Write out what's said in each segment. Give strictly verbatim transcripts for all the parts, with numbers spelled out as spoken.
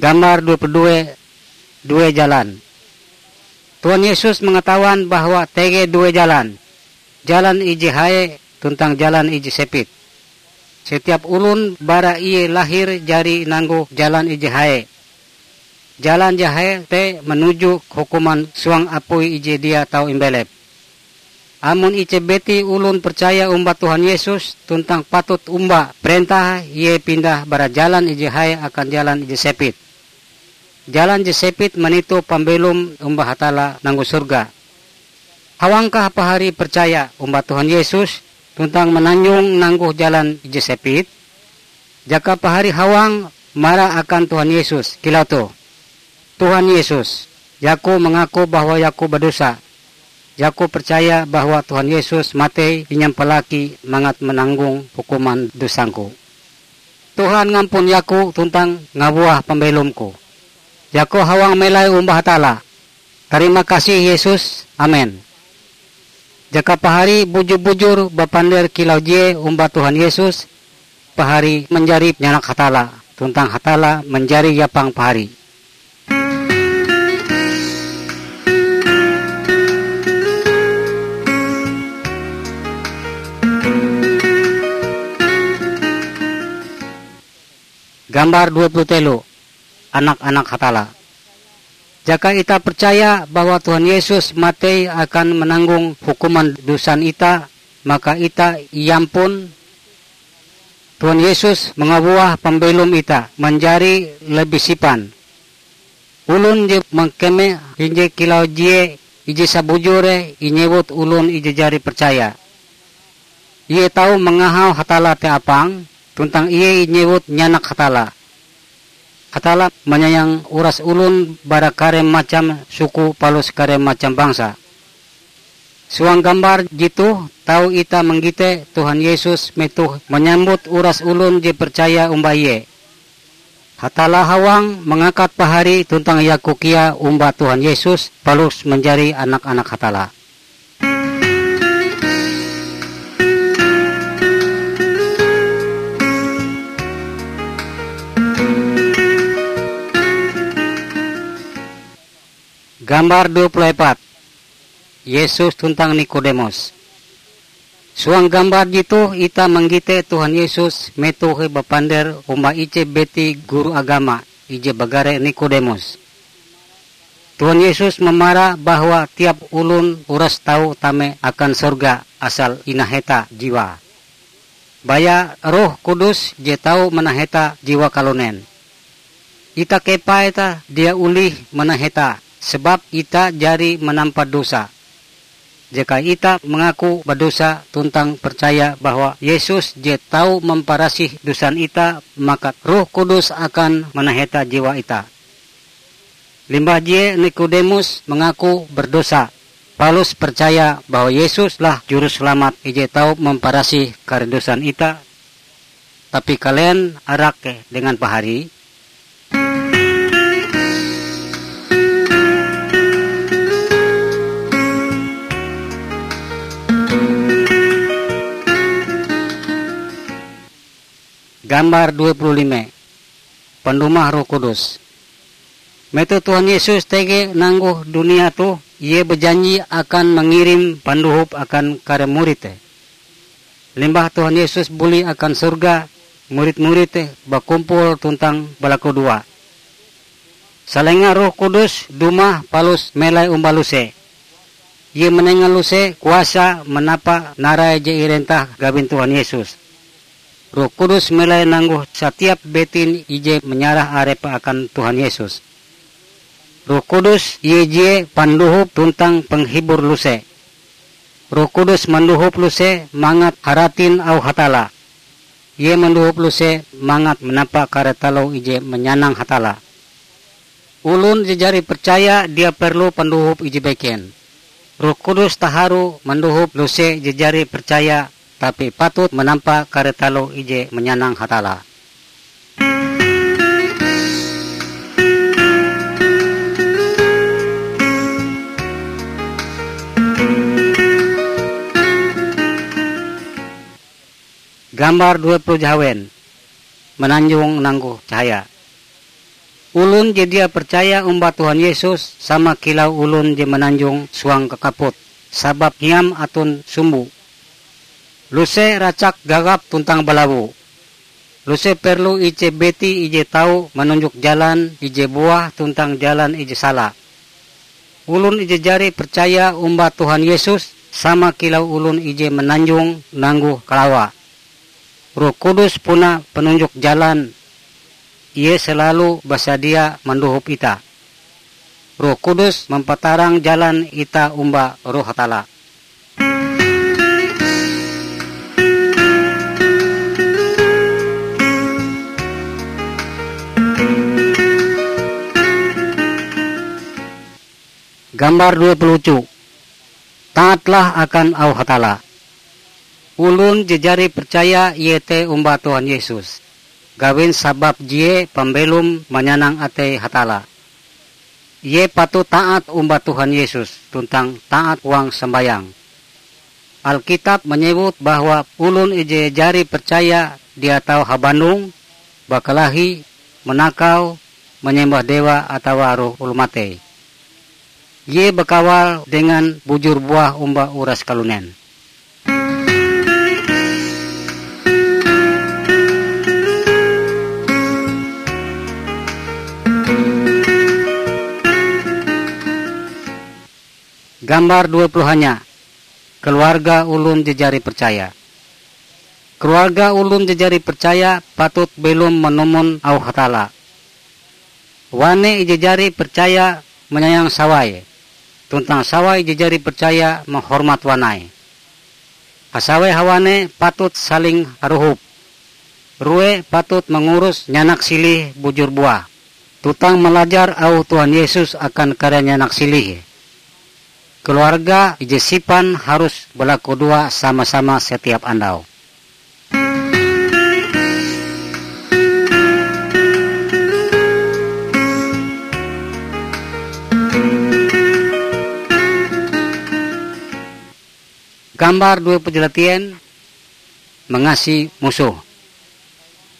Gambar dua puluh dua, due jalan. Tuhan Yesus mangatawan bahwa tege due jalan, jalan ije hae tuntang jalan ije sepit. Setiap olon bara ie lahir jari nanggoh jalan ije hae. Jalan je hae te manuju hukuman suang apui ije dia tau imbelep. Amon ije biti olon percaya omba Tuhan Yesus tuntang patut omba parentah ie pindah bara jalan ije hae akan jalan ije sepit. Jalan je sepit manito pambelom omba Hatalla nanggoh sorga. Hawangkah pahari percaya omba Tuhan Yesus tuntang mananjong nanggoh jalan ije sepit? Jaka pahari hawang mara akan Tuhan Yesus kilau toh, "Tuhan Yesus, yaku mangaku bahwa yaku badosa. Yaku percaya bahwa Tuhan Yesus matei inyampalaki mangat mananggong hukuman dosangku. Tuhan ngampun yaku tuntang ngabuah pambelomku. Yaku hawang melai omba Hatalla. Tarima kasih Yesus. Amen." Jaka pahari bujur-bujur bapander kilau je omba Tuhan Yesus, pahari manjari nyanak Hatalla, tuntang Hatalla manjari yapang pahari. Gambar dua puluh telu, anak-anak Hatalla. Jaka itah percaya bahwa Tuhan Yesus matei akan mananggong hukuman dosan itah, maka itah iampun. Tuhan Yesus mangabuah pambelom itah manjari lebih sipan. Olon je mangkeme hinje kilau je ije sabujure inyewut olon ije jari percaya. Ie tau mangahau Hatalla te apang, tuntang ie inyewut nyanak Hatalla. Hatalla manyayang uras olon bara kare macam suku palus kare macam bangsa. Suang gambar jetoh tau itah manggite Tuhan Yesus metoh manyambut uras olon je percaya omba Ie. Hatalla hawang mangakat pahari tuntang yaku kea omba Tuhan Yesus palus manjari anak-anak Hatalla. Gambar dua puluh epat, Yesus tuntang Nikodemus. Suang gambar jetoh itah manggite Tuhan Yesus metohe bapander omba ije biti guru agama ije bagare Nikodemus. Tuhan Yesus mamara bahwa tiap olon uras tau tame akan sorga asal inaheta jiwae. Baya Roh Kudus je tau manaheta jiwa kalunen. Itah kepah itah dia olih manaheta, sebab itah jari manampa dosa. Jaka itah mangaku badosa tuntang percaya bahwa Yesus je tau mamparasih dosan itah, maka Roh Kudus akan manaheta jiwa itah. Limbah je Nikodemus mangaku berdosa, palus percaya bahwa Yesus lah Juruselamat ije tau mamparasih kare dosan itah, tapi kalen arake dengan pahari? Gambar dua puluh lima, pandumah Roh Kudus. Metoh Tuhan Yesus tege nanggoh dunia toh, Ie bajanji akan mangirim pandohop akan kare murid te. Limbah Tuhan Yesus buli akan sorga, murid-murid te bakumpul tuntang balakudoa. Salenga Roh Kudus dumah palus melai omba luse. Ie manenga luse kuasa manapa narai je irentah gawin Tuhan Yesus. Roh Kudus melai nanggoh satiap betin ije manyarah arepe akan Tuhan Yesus. Roh Kudus ie je pandohop tuntang penghibur luse. Roh Kudus mandohop luse mangat haratin auh Hatalla. Ie mandohop luse mangat manapa kare taloh ije manyanang Hatalla. Olon je jari percaya dia perlu pandohop ije beken. Roh Kudus taharu mandohop luse je jari percaya, tapi patut manampa kare taloh ije manyanang Hatalla. Gambar dua puluh jahawen, mananjong nanggoh cahaya. Olon je dia percaya omba Tuhan Yesus sama kilau olon je mananjong suang kakaput, sabab hiam aton sumbo. Luse racak gagap tuntang balawo. Luse perlu ije biti ije tau manunjok jalan ije buah tuntang jalan ije sala. Olon ije jari percaya omba Tuhan Yesus sama kilau olon ije mananjong nanggoh kalawa. Roh Kudus puna panunjok jalan. Ie selalu basadia mandohop itah. Roh Kudus mampatarang jalan itah omba Roh Hatalla. Gambar dua puluh uju. Taatlah akan auh Hatalla. Olon je jari percaya iete omba Tuhan Yesus, gawin sabab ie pambelom manyanang atei Hatalla. Ie patut taat omba Tuhan Yesus tuntang taat huang sambayang. Alkitab manyewut bahwa olon ije jari percaya dia tau habandong, bakalahi, manakau, manyembah dewa atawa roh oloh matei. Ie bakawal dengan bujur buah omba uras kalunen. Gambar dua puluh hanya. Keluarga olon je jari percaya. Keluarga olon je jari percaya patut belom manumon auh Hatalla. Wane ije jari percaya manyayang sawae, tuntang sawae ije jari percaya mahormat wanae. Hasawei hawane patut saling harohop. Rue patut mangurus nyanak silih bujur buah, tuntang malajar auh Tuhan Yesus akan kare nyanak silih. Keluarga ije sipan harus balakudoa sama-sama setiap andau. Gambar dua puluh jalatien, mangasi musoh.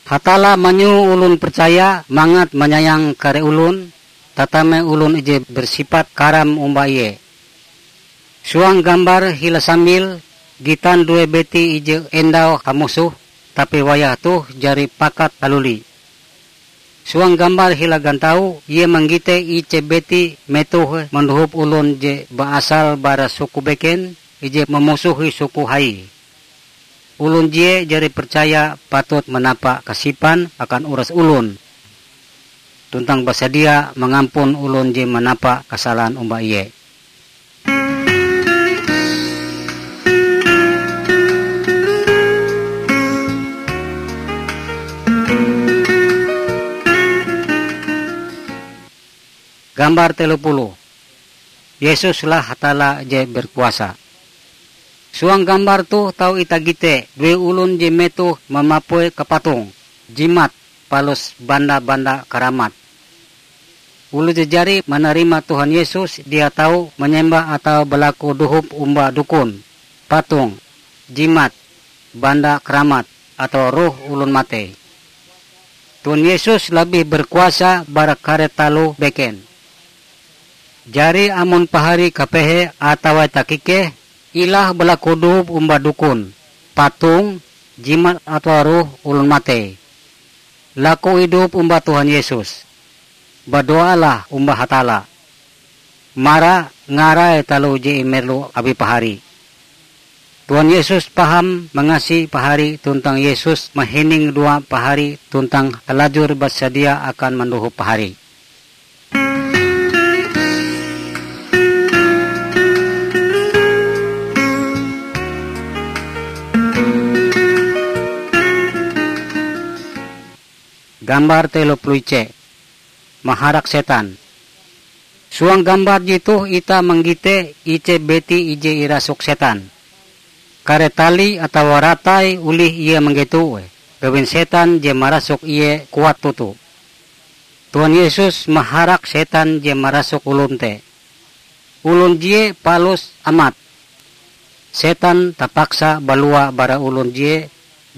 Hatalla manyoho olon percaya mangat manyayang kare olon, tatame olon ije bersipat karam omba ie. Suang gambar hila sambil, gitan due biti ije endau hamusoh, tapi wayah toh jari pakat haluli. Suang gambar hila gantau, ie manggite ije biti metohe mandohop olon je baasal bara suku beken, ije mamusohi suku hai. Olon je jari percaya patut manapa kasipan akan uras olon, tuntang basadia mangampun olon je manapa kasalan omba ie. Gambar telo puluh. Yesuslah Hatalla je berkuasa. Suang gambar toh tau itah gite due olon je metoh mamapue kapatong, jimat, palus banda-banda karamat. Oloh je jari manarima Tuhan Yesus dia tau manyembah atawa balaku dohop omba dukon, patong, jimat, banda karamat, atawa roh olon matei. Tuhan Yesus labih berkuasa bara kare taloh beken. Jari amon pahari kapehe atawa takikeh, ilah balaku dohop omba dukon, patong, jimat atawa roh olon matei. Laku idup omba Tuhan Yesus. Badoalah omba Hatalla. Mara ngarai taloh je imerlu awi pahari. Tuhan Yesus paham mangasi pahari tuntang Yesus mahining dua pahari tuntang halajur basadia akan mandohop pahari. Gambar telo puluh ice. Maharak setan. Suang gambar jitoh itah manggite ice beti ije irasuk setan. Kare tali atawa ratai olih ie manggetoe, gawin setan je marasuk ie kuat toto. Tuhan Yesus maharak setan je marasuk olon te. Olon je palus amat. Setan tapaksa balua bara olon je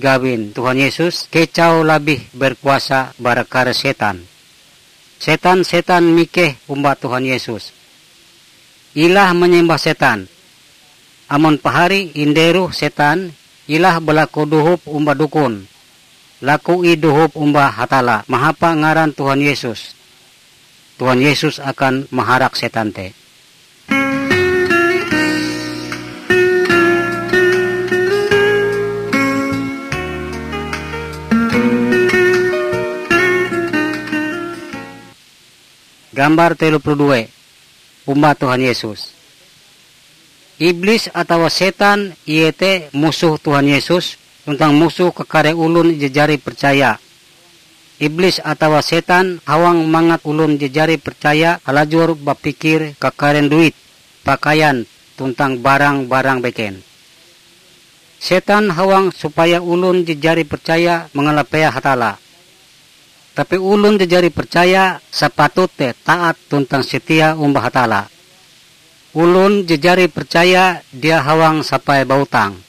gawin Tuhan Yesus kecau labih berkuasa bara kare setan. setan-setan mikeh omba Tuhan Yesus. Ilah manyembah setan. Amon pahari inderoh setan, ilah balaku dohop omba dukon. Laku ih dohop omba Hatalla mahapa ngaran Tuhan Yesus. Tuhan Yesus akan maharak setan te. Gambar telo puluh dua. Omba Tuhan Yesus. Iblis atawa setan, ie te musoh Tuhan Yesus tuntang musoh kakare olon je jari percaya. Iblis atawa setan hawang mangat olon je jari percaya halajur bapikir kakaren duit, pakaian, tuntang barang-barang beken. Setan hawang supaya olon je jari percaya mangalapea Hatalla. Tapi olon je jari percaya sapatute taat tuntang setia omba Hatalla. Olon je jari percaya dia hawang sampai bautang.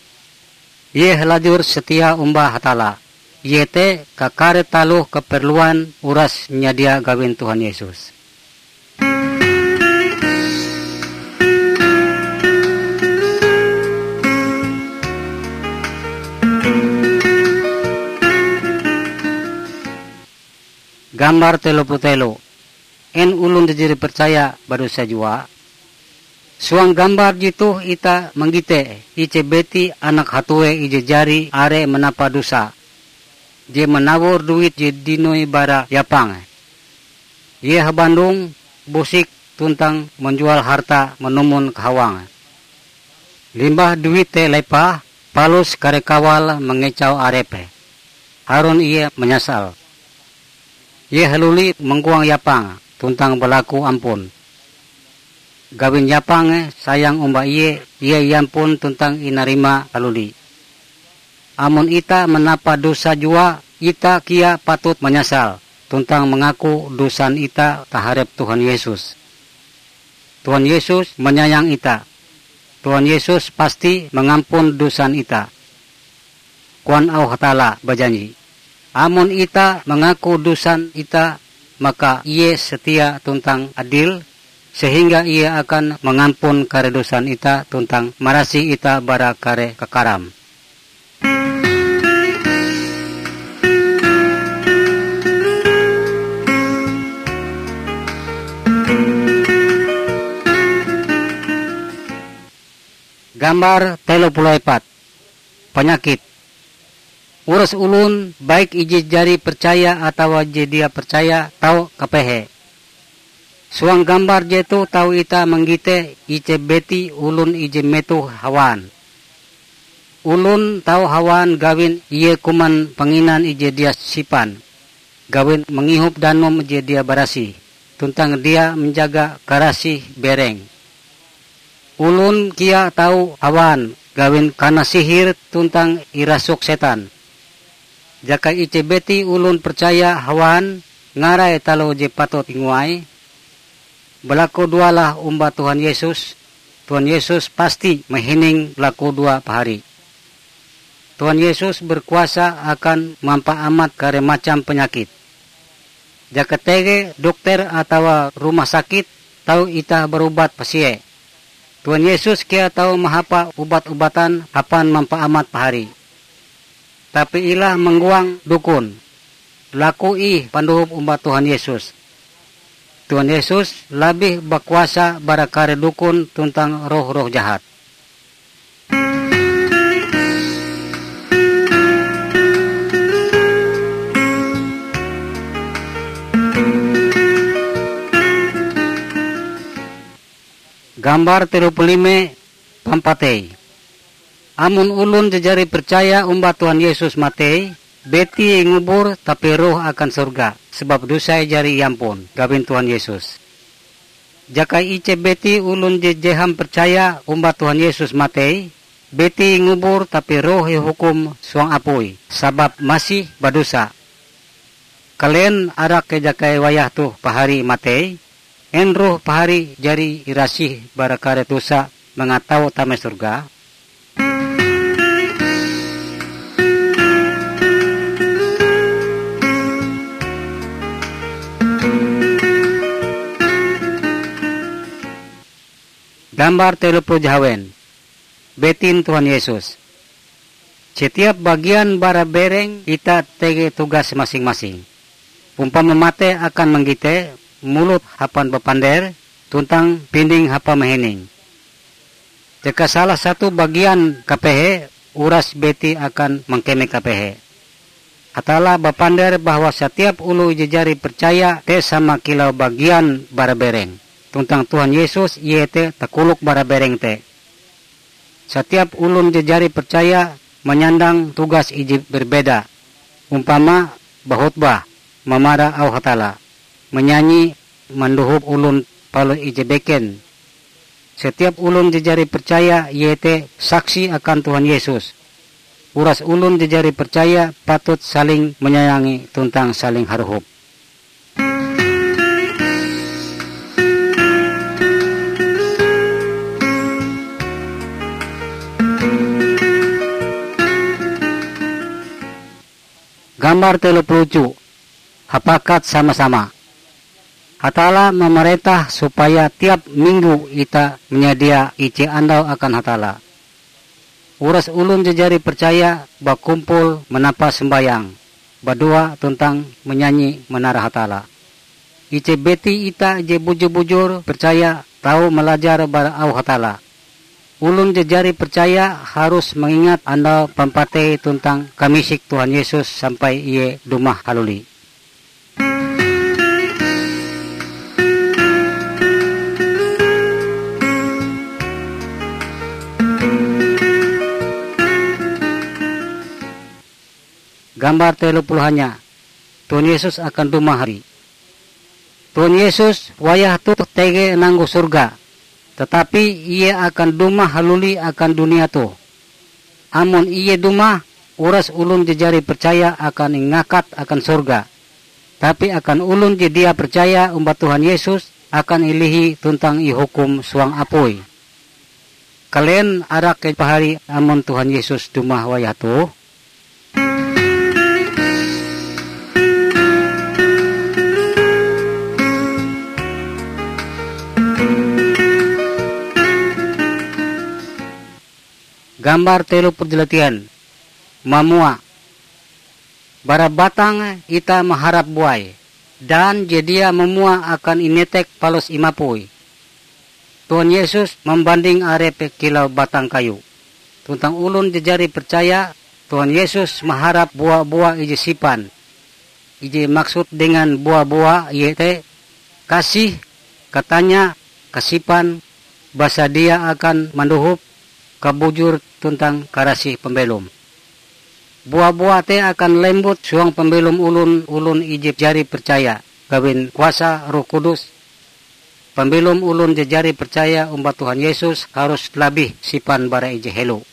Ie halajur setia omba Hatalla, iete kakare taloh kaperluan uras nyadia gawin Tuhan Yesus. Gambar telo puluh telo. En olon je jari percaya badosa jua? Suang gambar jetoh ita manggite ije beti anak hatue ije jari are manapa dosa, je manawor duit je dinoi bara yapang. Ie habandong, bosik, tuntang manjual harta manumon kahawang. Limbah duit te lepah, palus kare kawal mangecau arepe. Harun ie manyasal. Ie haluli mangkuang yapang tuntang balaku ampun. Gawin yapange sayang omba ie, ie iampun tuntang inarima haluli. Amon ita manapa dosa jua, ita kea patut manyasal tuntang mangaku dosan ita taharep Tuhan Yesus. Tuhan Yesus manyayang ita. Tuhan Yesus pasti mangampun dosan ita. Koan auh Hatalla bajanji, "Amon ita mangaku dosan ita, maka Ie setia tuntang adil, sehingga Ie akan mangampun kare dosan ita tuntang marasih ita bara kare kakaram." Gambar telo puluh epat. Panyakit. Uras olon, baik ije jari percaya atawa je dia percaya, tau kapehe. Suang gambar jetoh tau ita manggite ije beti olon ije metoh hawan. Olon tau hawan gawin ie kuman panginan ije dia sipan, gawin mangihop danum je dia barasih, tuntang dia manjaga karasih bereng. Olon kea tau hawan gawin kana sihir tuntang irasuk setan. Jaka ije beti olon percaya hawan ngarai taloh je patut inguai, balakudoalah omba Tuhan Yesus, Tuhan Yesus pasti mahining lakudoa pahari. Tuhan Yesus berkuasa akan mampaamat kare macam panyakit. Jaka tege dokter atawa rumah sakit tau itah barubat pasie. Tuhan Yesus kea tau mahapa ubat-ubatan hapan mampaamat pahari. Tapi ilah manggoang dukon. Laku ih pandohop omba Tuhan Yesus. Tuhan Yesus labih bakuasa bara kare dukon tuntang roh-roh jahat. Gambar telo puluh lime. Pampatei. Amon olon je jari percaya omba Tuhan Yesus matei, betie ingubur tapi roh akan sorga, sebab dosae jari iampun gawin Tuhan Yesus. Jaka ije beti olon je jeham percaya omba Tuhan Yesus matei, betie ingubur tapi roh ihukum suang apui, sabab masih badosa. Kalen arak kejakai wayah toh pahari matei? En roh pahari jari irasih bara kare dosa mangat tau tame sorga? Gambar telo puluh jahawen. Betin Tuhan Yesus. Setiap bagian bara bereng itah tege tugas masing-masing. Umpama mate akan manggite, mulut hapan bapander, tuntang pinding hapa mahining. Jaka salah satu bagian kapehe, uras beti akan mangkeme kapehe. Hatalla bapander bahwa satiap oloh ije jari percaya te sama kilau bagian bara bereng, tuntang Tuhan Yesus ie te takolok bara bereng te. Satiap olon je jari percaya manyandang tugas ije berbeda, umpama bahotbah, mamara auh Hatalla, manyanyi, mandohop olon palus ije beken. Setiap olon je jari percaya iete saksi akan Tuhan Yesus. Uras olon je jari percaya patut saling manyayangi tuntang saling harohop. Gambar telo puluh uju. Hapakat sama-sama. Hatalla mamarentah supaya tiap minggu itah manyadia ije andau akan Hatalla. Uras olon je jari percaya bakumpul manapa sombayang, badoa tuntang manyanyi manara Hatalla. Ije beti itah je bujur-bujur percaya tau malajar bara auh Hatalla. Olon je jari percaya harus mangingat andau pampatei tuntang kamisik Tuhan Yesus sampai Ie dumah haluli. Gambar telo puluh hanya. Tuhan Yesus akan dumah hari. Tuhan Yesus wayah toh tege nanggu sorga, tatapi Ie akan dumah haluli akan dunia toh. Amon Ie dumah, uras olon je jari percaya akan ingakat akan sorga, tapi akan olon je dia percaya omba Tuhan Yesus akan ilihi tuntang ihukum suang apui. Kalen arake pahari amon Tuhan Yesus dumah wayah toh? Gambar telo puluh jeletian. Mamua. Bara batang itah maharap buai, dan je dia mamua akan inetek palus imapui. Tuhan Yesus mambanding arepe kilau batang kayu. Tuntang olon je jari percaya, Tuhan Yesus maharap bua-bua ije sipan. Ije maksud dengan bua-bua iete kasih, katanya, kasipan, basadia akan mandohop, kabujur tuntang karasih pambelom. Bua-bua te akan lembut suang pambelom olon, olon ije jari percaya gawin kuasa Roh Kudus. Pambelom olon je jari percaya omba Tuhan Yesus harus labih sipan bara ije helo.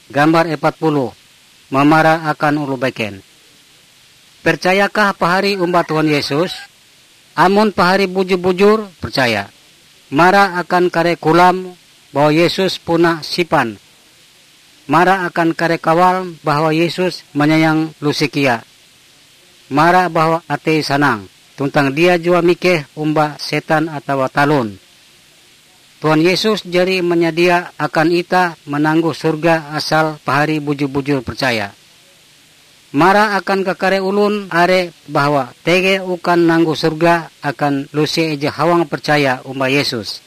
Gambar epat puluh. Mamara akan oloh beken. Percayakah pahari omba Tuhan Yesus? Amon pahari bujur-bujur percaya, mara akan kare kolam bahwa Yesus puna sipan, mara akan kare kawal bahwa Yesus manyayang lusekia, mara bahwa atei sanang, tuntang dia jua mikeh omba setan atawa talon. Tuhan Yesus jari manyadia akan itah mananggong sorga asal pahari bujur-bujur percaya. Mara akan kakare olon are bahwa tege ukan nanggong sorga akan luse ije hawang percaya omba Yesus.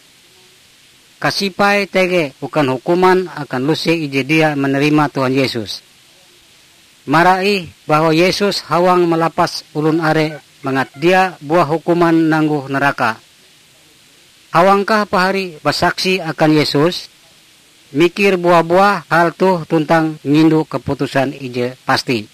Kasipai tege ukan hukuman akan luse ije dia manarima Tuhan Yesus. Mara ih bahwa Yesus hawang malapas olon are mangat dia buah hukuman nanggong naraka. Hawangkah pahari basaksi akan Yesus? Mikir bua-buah hal toh tuntang ngindu kaputusan ije pasti.